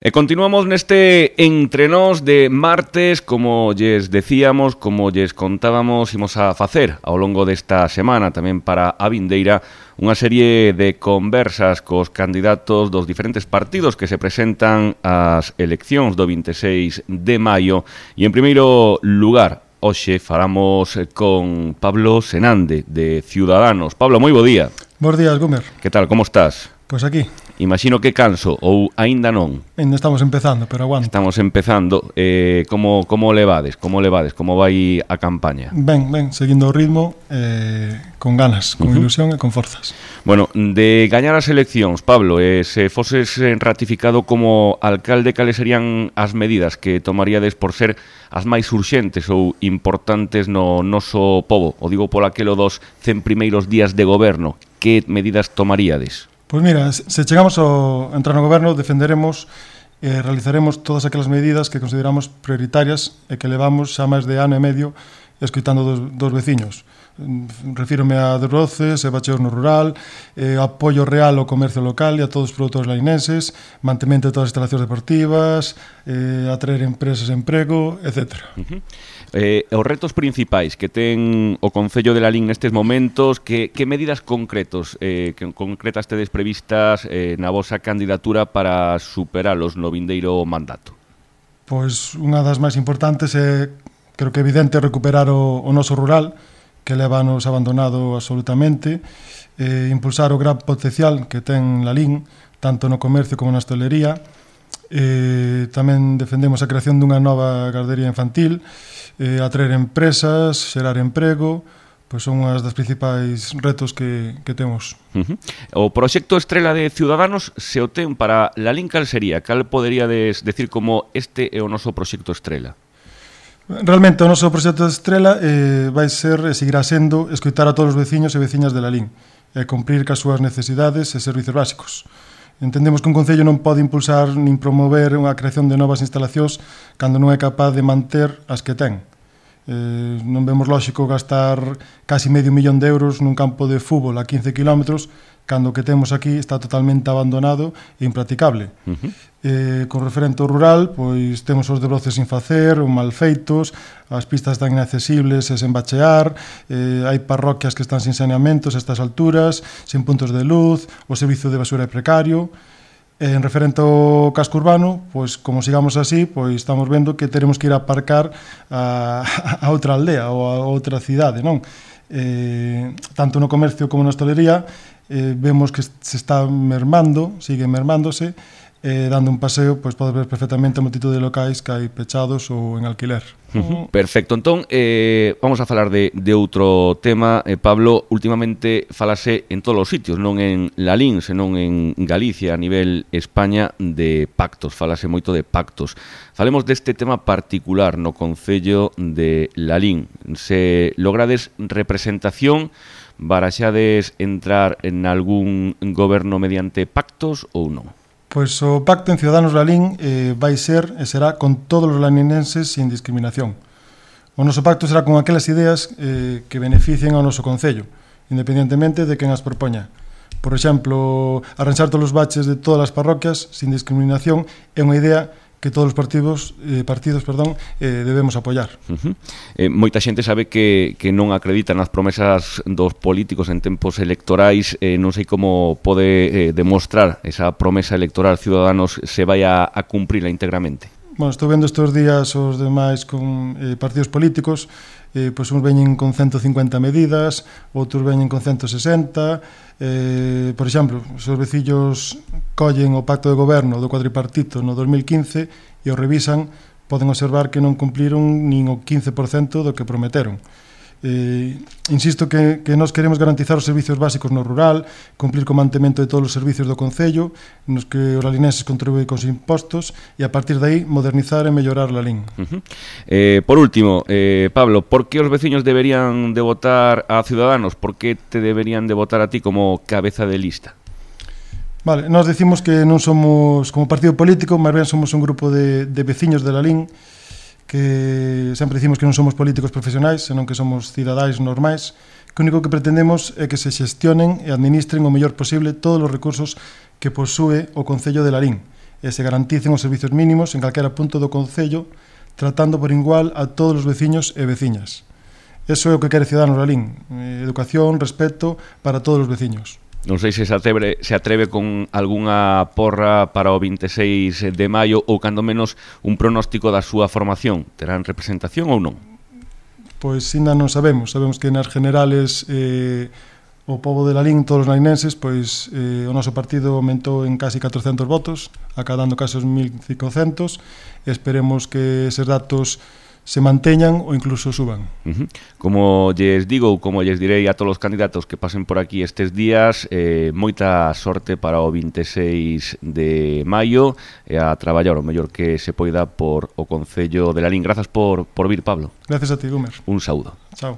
E continuamos neste Entre Nós de martes, como lles decíamos, como lles contábamos, imos a facer ao longo desta semana, tamén para a vindeira, unha serie de conversas cos candidatos dos diferentes partidos que se presentan ás eleccións do 26 de maio. E en primeiro lugar, hoxe falamos con Pablo Senande, de Ciudadanos. Pablo, moi bo día. Bos días, Gómez. Que tal, como estás? Pois aquí. Imagino que canso, ou aínda non? Ainda estamos empezando, pero aguanta. Estamos empezando. Como levades? Como vai a campaña? Ben, seguindo o ritmo, con ganas, con ilusión e con forzas. Bueno, de gañar as eleccións, Pablo, se foses ratificado como alcalde, cales serían as medidas que tomaríades por ser as máis urxentes ou importantes no noso pobo? O digo por aquelo dos 100 primeiros días de goberno. Que medidas tomaríades? Pois mira, se chegamos a entrar no goberno, defenderemos e realizaremos todas aquelas medidas que consideramos prioritarias e que levamos xa máis de ano e medio escoitando dos veciños. Refírome a desbroces e bacheos no rural, apoio real ao comercio local e a todos os produtores lainenses, mantemento de todas as instalacións deportivas, atraer empresas e emprego, etc. Os retos principais que ten o Concello de Lalín nestes momentos, que medidas concretas tedes previstas na vosa candidatura para superalos no vindeiro mandato? Pois unha das máis importantes é, creo que evidente, recuperar o noso rural, que leva anos abandonado absolutamente, impulsar o gran potencial que ten Lalín, tanto no comercio como na hostelería. Tamén defendemos a creación dunha nova gardería infantil, atraer empresas, xerar emprego, pois son unhas das principais retos que temos. O proxecto estrela de Ciudadanos, se o ten para Lalín, cal sería? Cal poderíades decir como este é o noso proxecto estrela? Realmente o noso proxecto estrela vai ser e seguirá sendo escoitar a todos os veciños e veciñas de Lalín e cumprir cas súas necesidades e servizos básicos. Entendemos que un concello non pode impulsar nin promover unha creación de novas instalacións cando non é capaz de manter as que ten. Non vemos lóxico gastar casi medio millón de euros nun campo de fútbol a 15 kilómetros cando o que temos aquí está totalmente abandonado e impracticable. Con referente ao rural, pois temos os desbroces sin facer, ou mal feitos, as pistas están inaccesibles e sen bachear, hai parroquias que están sin saneamentos a estas alturas, sin puntos de luz, o servizo de basura é precario. En referente ao casco urbano, pois como sigamos así, pois estamos vendo que teremos que ir a aparcar a outra aldea ou a outra cidade, non? Tanto no comercio como na hostelería, vemos que se está mermando, sigue mermándose, dando un paseo, pois podes ver perfectamente a multitud de locais que hai pechados ou en alquiler. Perfecto, entón vamos a falar de outro tema. Pablo, últimamente falase en todos os sitios, non en Lalín, senón en Galicia, a nivel España, de pactos, falase moito de pactos. Falemos deste tema particular no Concello de Lalín. Se logrades representación, baraxades entrar en algún goberno mediante pactos ou non? Pois o pacto en Ciudadanos Lalín vai ser e será con todos os laninenses sin discriminación. O noso pacto será con aquelas ideas que beneficien ao noso concello, independentemente de quen as propoña. Por exemplo, arranxar todos os baches de todas as parroquias sin discriminación é unha idea que todos os partidos debemos apoiar. Moita xente sabe que non acredita nas promesas dos políticos en tempos electorais. Non sei como pode demostrar esa promesa electoral Ciudadanos se vai a cumprila íntegramente. Bueno, estou vendo estes días os demais con partidos políticos, pois uns veñen con 150 medidas, outros veñen con 160. Por exemplo, se os vecillos collen o pacto de goberno do cuadripartito no 2015 e o revisan, poden observar que non cumpliron nin o 15% do que prometeron. Insisto que nós queremos garantizar os servicios básicos no rural, cumplir co mantemento de todos os servicios do Concello, nos que os lalinenses contribuen cos impostos e a partir de aí modernizar e mellorar Lalín. Por último, Pablo, por que os veciños deberían de votar a Ciudadanos? Por que te deberían de votar a ti como cabeza de lista? Vale, nós decimos que non somos como partido político, máis ben somos un grupo de veciños de Lalín, que sempre dicimos que non somos políticos profesionais, senón que somos cidadáns normais, que o único que pretendemos é que se xestionen e administren o mellor posible todos os recursos que posúe o Concello de Lalín, e se garanticen os servizos mínimos en calquera punto do concello, tratando por igual a todos os veciños e veciñas. Eso é o que quere Ciudadanos Lalín, educación, respeto para todos os veciños. Non sei se atreve con algunha porra para o 26 de maio ou, cando menos, un pronóstico da súa formación. Terán representación ou non? Pois ainda non sabemos. Sabemos que nas generales o pobo de Lalín, todos os lalinenses, pois o noso partido aumentou en casi 400 votos, acadando casi os 1.500. Esperemos que eses datos se manteñan ou incluso suban. Como lles digo, ou como lles direi a todos os candidatos que pasen por aquí estes días, moita sorte para o 26 de maio e a traballar o mellor que se poida por o Concello de Lalín. Grazas por vir, Pablo. Gracias a ti, Gumer. Un saúdo. Chao.